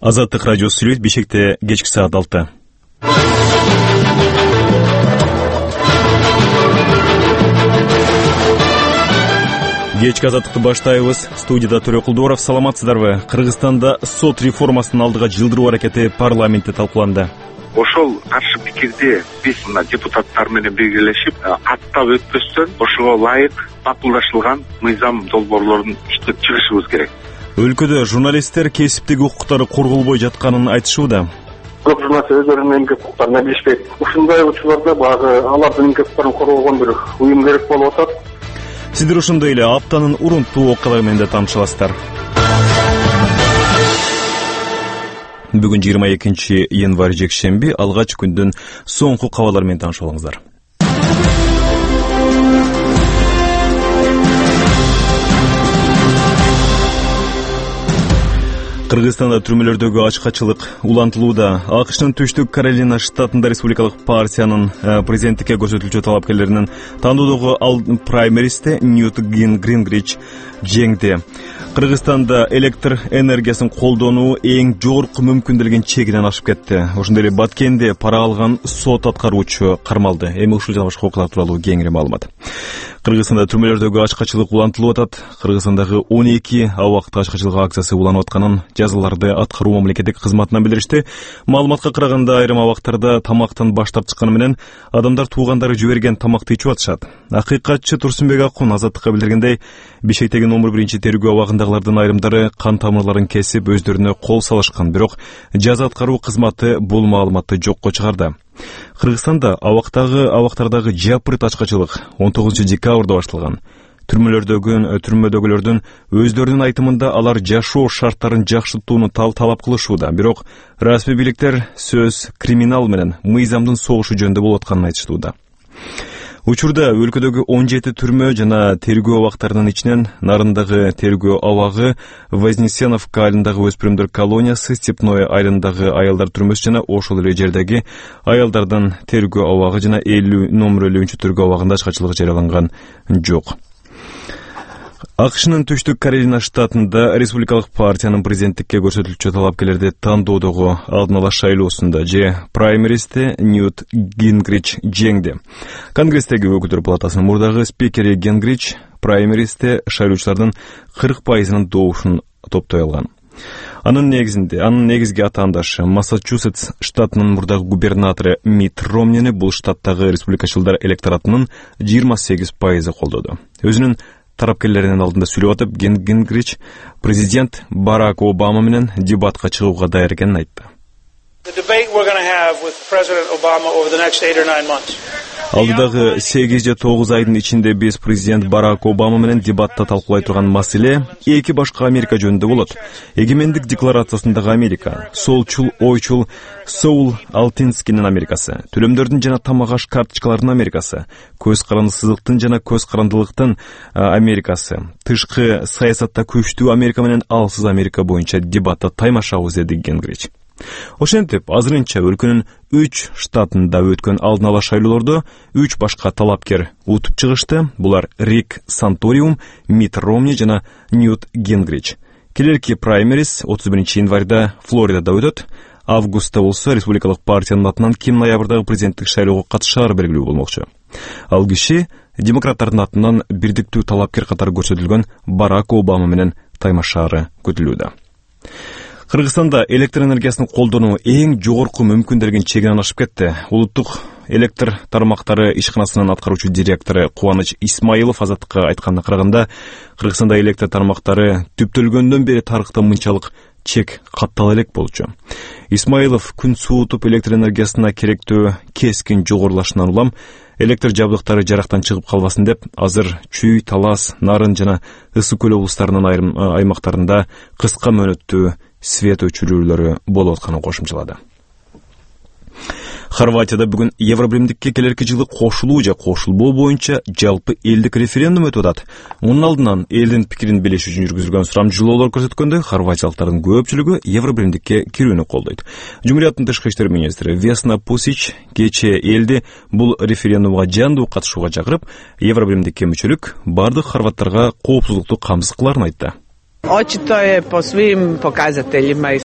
Азаттык радиосу сүйлөйт. Бишкекте кечки саат 6. Кечки азаттыкты баштайбыз. Студияда Төрөкулдууров. Саламатсыздарбы? Кыргызстанда сот реформасынын алдыга жылдыруу аракети парламентте талкууланды. Ошол каршы пикирди биз мына депутаттар менен биргелешип аттап өтпөстөн ошого ылайык макулдашылган мыйзам долбоорлорун иштеп чыгышыбыз керек. Өлкөдө журналисттер кесиптик укуктары корголбой жатканын айтышууда. Көп журналисттер өздөрүнүн эмгек укуктарын билишпейт. Ушундай учурларда багы алардын эмгек укуктарын коргогон бир уюм керек болуп атат. Сиздер ошондой эле аптанын урунттуу окуялары менен да таанышасыздар. Бүгүн 22 январь жекшемби, алгач күндүн соңку кабарлары менен таанышып алыңыздар. Кыргызстанда түрмөлөрдөгү ачкачылык улантылууда. АКШнын Түштүк Каролина штатында республикалык партиянын президенттикке көрсөтүлчү талапкерлеринин тандоодогу праймеристе Ньют Гингрич жеңди. Кыргызстанда электр энергиясын колдонуу эң жогорку мүмкүндөлгөн чегинен ашып кетти. Ошондой эле Баткенде пара алган сот аткаруучу кармалды. Эми ушул жана башка окуялар тууралуу кеңири маалымат. Кыргызстанда түрмөлөрдөгү ачкачылык улантылып атат. Кыргызстандагы 12 абакта ачкачылык акциясы уланып атканын жазаларды аткаруу мамлекеттик кызматынан билдиришти. Маалыматка караганда айрым абактарда тамактан баш тартышканы менен адамдар туугандары жиберген тамакты ичип атышат. Акыйкатчы Турсунбек Акун Азаттыкка билдиргендей, Бишкектеги номер 1 тергөө абагындагылардын айрымдары кан тамырларын кесип өздөрүнө кол салышкан, бирок жаза аткаруу кызматы бул маалыматты жокко чыгарды. Кыргызстанда абактардагы жапырт ачкачылык 19 декабрда башталган. Түрмөдөгүлөрдүн өздөрүнүн айтымында алар жашоо шарттарын жакшыртууну талап кылышууда, бирок расмий бийликтер сөз криминал менен мыйзамдын согушу жөнүндө болуп атканын айтышууда. Учурда өлкөдөгү 17 түрмө жана тергөө абактарынын ичинен Нарындагы тергөө абагы, Вознесеновка айылындагы өспүрүмдөр колониясы, Степное айылындагы аялдар түрмөсү жана ошол эле жердеги аялдардын тергөө абагы жана номер 50 тергөө абагында ачкачылык жарыяланган жок. АКШнын Түштүк Каролина штатында республикалык партиянын президенттикке көрсөтүлчү талапкерлерди тандоодогу алдын ала шайлоосунда праймеристе Ньют Гингрич жеңди. Конгресстеги өкүлдөр палатасынын мурдагы спикери Гингрич праймеристе шайлоочулардын 40%-нын доошун топтой алган. Анын негизги атаандашы Массачусетс штатынын мурдагы губернатору Митт Ромнини бул штаттагы республикачылдар электоратынын 28% колдоду. Өзүнүн тарапкерлеринин алдында сүйлөп атып, Гингрич президент Барак Обама менен дебатка чыгууга даяр экенин айтты. Алдыдагы 8 же 9 айдын ичинде биз президент Барак Обама менен дебатта талкуулай турган маселе эки башка Америка жөнүндө болот. Эгемендик декларациясындагы Америка, солчул, ойчул Соул Алтинскинин Америкасы, төлөмдөрдүн жана тамак аш карточкаларынын Америкасы, көз карандысыздыктын жана көз карандылыктын Америкасы, тышкы саясатта күчтүү Америка менен алсыз Америка боюнча дебатта таймашабыз, деди Гингрич. Ошентип, азырынча өлкөнүн 3 штатында өткөн алдын ала шайлоолордо 3 башка талапкер утуп чыгышты. Булар Рик Санториум, Митт Ромни жана Ньют Гингрич. Келерки праймерис 31 январда Флоридада өтөт. Августта болсо республикалык партиянын атынан ким ноябрдагы президенттик шайлоого катышаары белгилүү болмокчу. Ал киши демократтардын атынан бирдиктүү талапкер катары көрсөтүлгөн Барак Обама менен таймашаары күтүлүүдө. Кыргызстанда электр энергиясын колдонуу эң жогорку мүмкүндөлгөн чегинен ашып кетти. Улуттук электр тармактары ишканасынын аткаруучу директору Кубаныч Исмаилов Азаттыкка айтканына караганда, Кыргызстанда электр тармактары түптөлгөндөн бери тарыхта мынчалык чек каттала элек болчу. Исмаилов күн суутуп электр энергиясына керектүү кескин жогорулашынан улам электр жабдыктары жарактан чыгып калбасын деп, азыр Чүй, Талас, Нарын жана Ысык көл облустарынын айрым аймактарында кыска мөөнөттүү свет өчүрүүлөрү болуп атканын кошумчалады. Хорватияда бүгүн Евробиримдикке келерки жылы кошулуу же кошулбоо боюнча жалпы элдик референдум өтүп атат. Мунун алдынан элдин пикирин билиш үчүн жүргүзүлгөн сурамжылоолор көрсөткөндө хорватиялыктардын көпчүлүгү Евробиримдикке кирүүнү колдойт. Жумурияттын тышкы иштер министри Весна Пусич кечээ элди бул референдумга жандуу катышууга чакырып, Евробиримдикке мүчөлүк бардык хорваттарга коопсуздукту камсыз кыларын айтты. Očito je po svim pokazateljima